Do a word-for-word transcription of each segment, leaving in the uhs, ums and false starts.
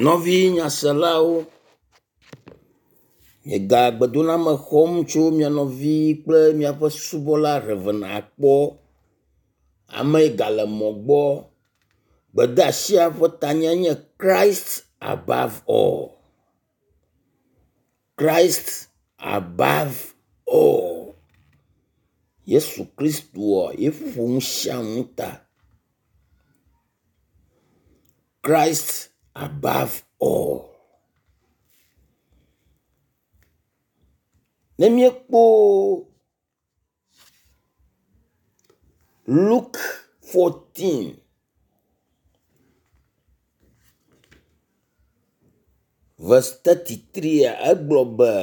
Nɔvi nyaselawo, miega gbedoname xɔm tso mia nɔvi kple miaƒe subɔla Rev. Akpɔ. Ame yi gale mɔ gbɔ. Gbedeasia ƒe tanya nye Christ above all. Christ above all. Yesu Kristoa ye ƒo nu sia nu ta. Christ above all. Ne míekpɔ Luke fourteen verse thirty three egblɔ be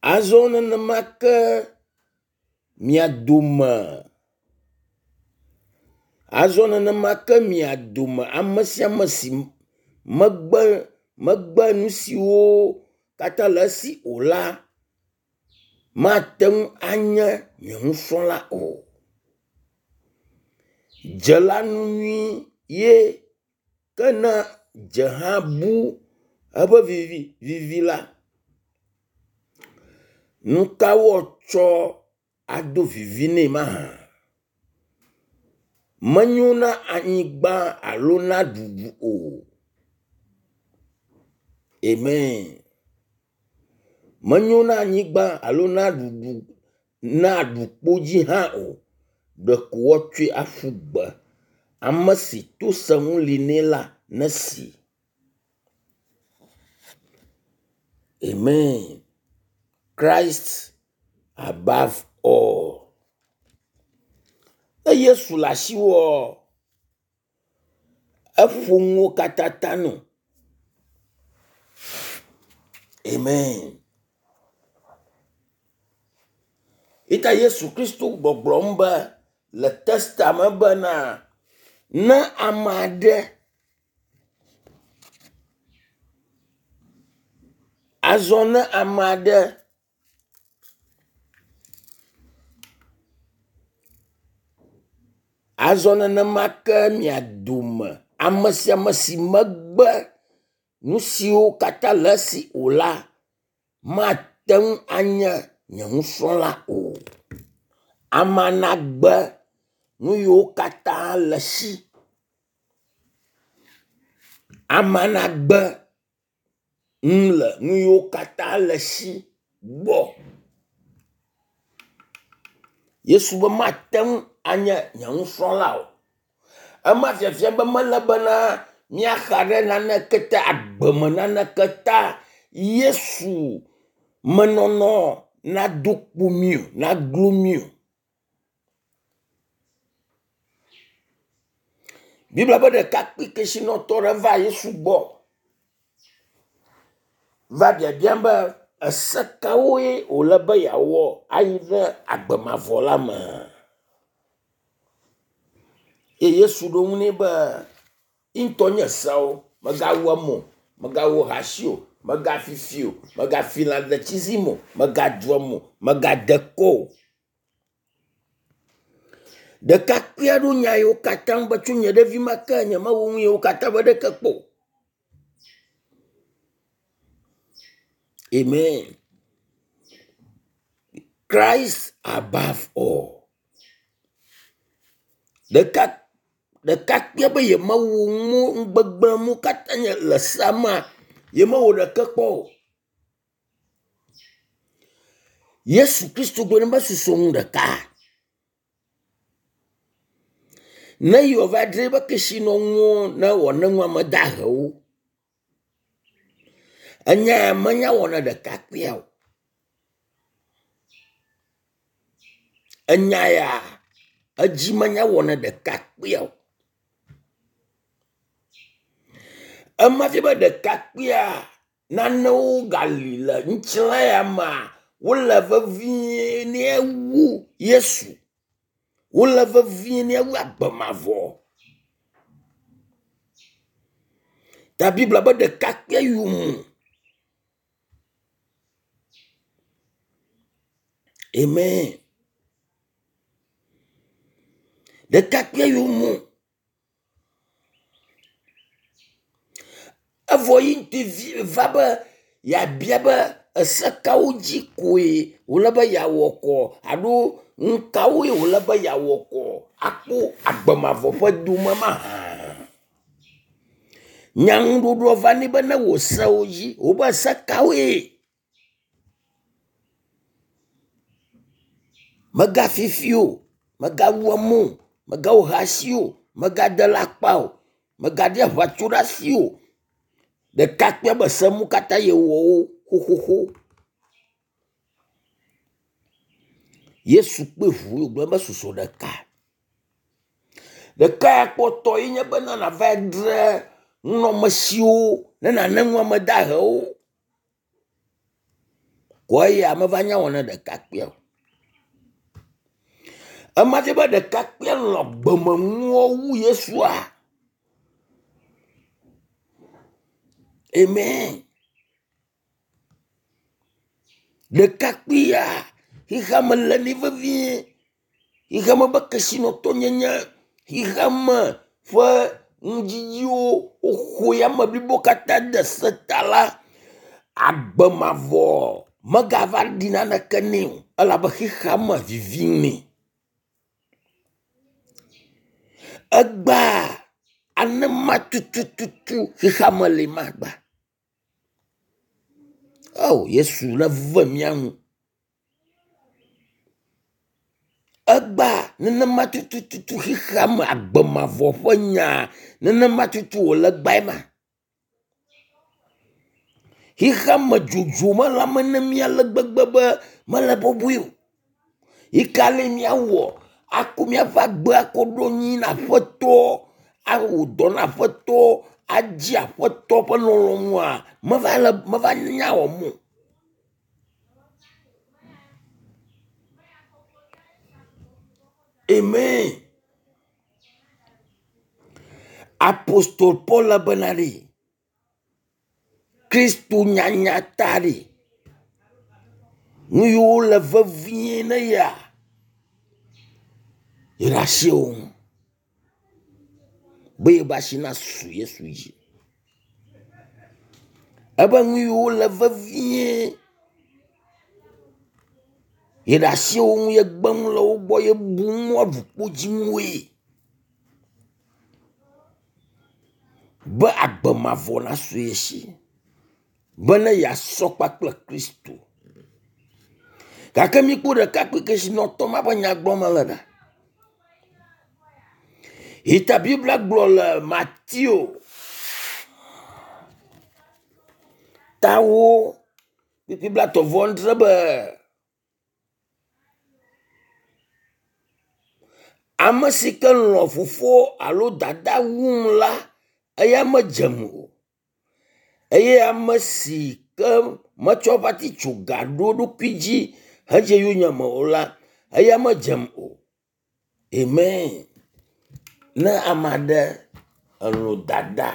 azɔ nenema ke mia dome azɔ nenema ke mia dome ame sia ame si megbe megbe nu siwo katã le esi o la mate ŋu anye nye nusrɔ̃la o. Dze la nu nyui ye ke ne dze hã bu eƒe vivi la, nu ka woatsɔ ado vivi nɛ mahã? Menyo na anyigba alo na ɖuɖu o. Amen. Menyo na anyigba alo na ɖuɖu na ɖukpo dzi hã o. Ɖeko woatsɔe aƒu gbe. Ame si to senu li nɛ la nesi. Amen. Christ above all. Ne Yesu le asiwòa, eƒo nuwo katã ta nɔ. Amen. Ita Yesu Kristo gbɔgblɔm be le testament bena ne ame aɖe azɔ ne ame aɖe azɔ nenema ke mia dome ame sia ame si megbe nu siwo katã le esi o la mate ŋu anye nye nusrɔ̃la o. Amea nagbe nu yiwo katã le esi. Amea nagbe nu le nu yiwo katã le esi gbɔ. Yesu be mate ŋu anye nye nusrɔ̃la o. Ema fiafia be mele bena míaxa ɖe naneke ta agbeme naneke ta Yesu menɔnɔ nado kpo mí o, naglo mí o. Biblia be ɖekakpui kesinɔtɔ ɖe va Yesu gbɔ va biabiam be ese kawoe wòle be yeawɔ ayi ɖe agbe mavɔ la me. Eye Yesu ɖo ŋu nɛ be ŋutɔ nye seawo, mègawu ame o, mègawɔ ahasi o, mègafi fi o, mègafi lãɖetsizi me o, mègadu ame o, mègade kɔ o. Ɖekakpui aɖewo nya yiwo katã be tso nye ɖevime ke nyemewɔ nu yiwo katã ƒe ɖeke kpɔ o. Amen. Christ above all. Ɖeka ɖekakpuia be yemewu nu nugbegblẽ mu katã nye le sea mea, yemewɔ ɖeke kpɔ o. Yesu Kristo gblɔ nɛ be susɔ nu ɖeka. Ne yewoava dzra eƒe kesinɔnuwo ne wòane nu ame dahewo. Enya ya menya wɔ na ɖekakpuia o. Enya ya edzi menya wɔ na ɖekakpuia o. Ema fia be ɖekakpuia nanewo gali le ŋutilã ya mea wole vevie nɛ wu Yesu. Wole vevie nɛ wu agbe mavɔ. Ta Biblia be ɖekakpuia yome Amen. Ɖekakpuia yome evɔ yi ŋutɔ vi va be yeabia be ese kawo dzi koe wòle be yeawɔ kɔ alo nu kawoe wòle be yeawɔ kɔ akpɔ agbe mavɔ ƒe dome mahã. Nyaŋuɖoɖoa va nɛ be ne wò sewo dzi wobe se kawoe? Mègafi fi o, mègawu ame o, mègawɔ ahasi o, mègade alakpa o, mègaɖi aʋatso ɖe asi o. Ɖekakpuia be se mu katã yewɔ wo xoxoxo. Yesu kpe ŋu wògblɔ be susɔ ɖeka. Ɖeka ya kpɔtɔ ye nye bena nàva dzre nunɔamesiwo ne nàne nu ame dahewo. Kɔ eya meva nya wɔ na ɖekakpuia o. Ema fia be ɖekakpuia lɔ̃ gbemenuwo wu Yesua. Amen. Ɖekakpuia xexeame le nɛ vevie. Xexeame ƒe kesinɔtɔnyenye, xexeame ƒe nudzidziwo woxɔ yame blibo katã de se ta la, agbe mavɔ megava ɖi naneke nɛ o elabe xexeame vivim nɛ. Egbea anema tutututu xexeame li magba. Oh, Yesu neve mía nu. Egbea nenema tutututu xexeame agbe mavɔ ƒe nya nenema tutu wòle egbae ma. Xexeame dzodzo mele ame ne mí ale gbegbe be mele bɔbɔe o. Yi ka le míawɔ ako míaƒe agbe akɔ ɖo anyi na Aƒetɔ, awɔ dɔ na Aƒetɔ, adzi Aƒetɔ ƒe lɔlɔ̃nua meva le meva nya wɔm o. Amen. Apostol Paul bena ɖe Kristo nyanya ta ɖe nu yiwo le vevie ne ya yeɖe asi wo ŋu be yeƒe asi nasu Yesu dzi. Ebe nu yiwo le vevie yeɖe asi wo ŋu yegbe nu le wo gbɔ yebu nu aɖu kpo dzi ŋue be agbe mavɔ nasu ye si bene yeasɔ kpakple Kristo. Gake míkpɔ ɖekakpui kesinɔtɔ ma ƒe nya gblɔm mele ɖa. Yi ta Biblia gblɔ le Mateo tawo kpukpui blaetɔ̃ vɔ adre be ame si ke lɔ̃ fofo alo dada wum la, eya medzem o. Eye ame si ke metsɔ eƒe atitsoga ɖo eɖokui dzi hedze yonyeme o la, eya medzem o. Amen. Ne ame aɖe elɔ̃ dada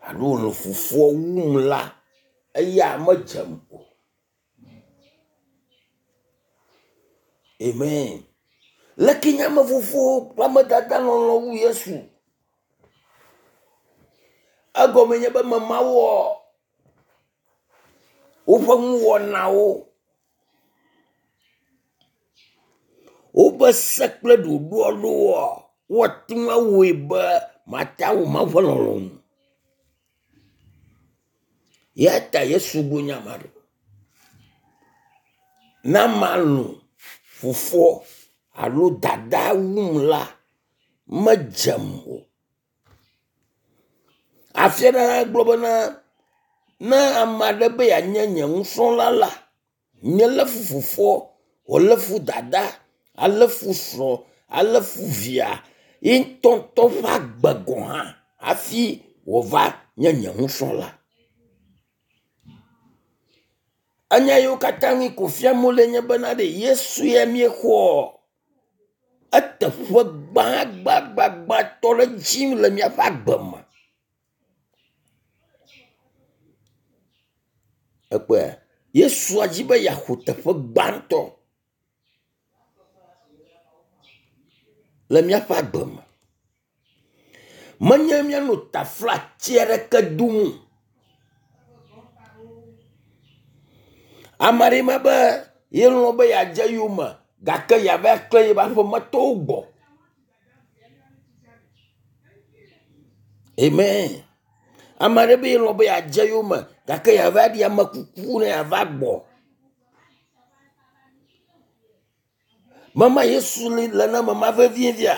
alo lɔ̃ fofoa wum la, eya medzem o. Amen. Leke nye ame fofo kple ame dada lɔlɔ̃ wu Yesu? Egɔme nye be memawɔ woƒe nuwɔnawo, woƒe se kple ɖoɖo aɖewoa, woate ŋu awɔe be mate awɔ Mawu ƒe lɔlɔ̃nu. Ya ta Yesu gblɔ nya ma ɖo. Ne ame alɔ̃ fofoa alo dada wum la, medzem o. Afi aɖe hã gblɔ bena ne ame aɖe be yeanye nye nusrɔ̃la la, nelé fu fofoa, wòalé fu dada, alé fu srɔ̃, alé fu via, ye ŋutɔŋutɔ ƒe agbe gɔ̃ hã hafi wòava nye nye nusrɔ̃la. Enya yiwo katã mi ko fiam wole nye bena ɖe Yesu ya míexɔ eteƒe gbãgbãgbãtɔ ɖe dzi le míaƒe agbe me. Ekpɔe Yesua dzi be yeaxɔ teƒe gbãtɔ. le míaƒe agbe me. Menye míanɔ taflatse aɖeke dom o. Ame aɖe ma be yelɔ̃ be yeadze yome gake yeava klẽ yeƒe aƒemetɔwo gbɔ. Amen. Ame aɖe be yelɔ̃ be yeadze yome gake yeava ɖi ame kuku ne yeava gbɔ. Mema Yesu li le ne mema vevie via.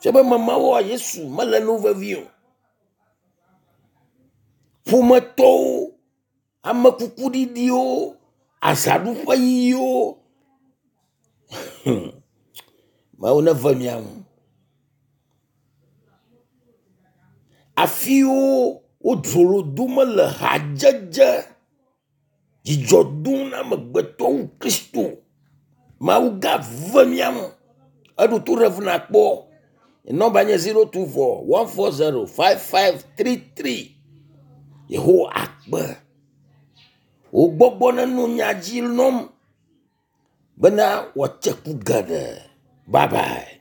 Fia be memawoa Yesu mele nu vevi o. Ƒometɔwo, amekukuɖiɖiwo, azaɖuƒe yiyiwo. Mawu neve mia ŋu. Afiwo wodzro dome le hadzedze dzidzɔ dom na amegbetɔ wu Kristo. Mawu gave mía ŋu. Eɖo to ɖe ŋu nakpɔ. Nɔmba nye zero two four one four zero five five three three. Yehowa akpe. Wò gbɔgbɔ nenɔ nya dzi nɔm bena wòatse ku geɖe. Bye bye.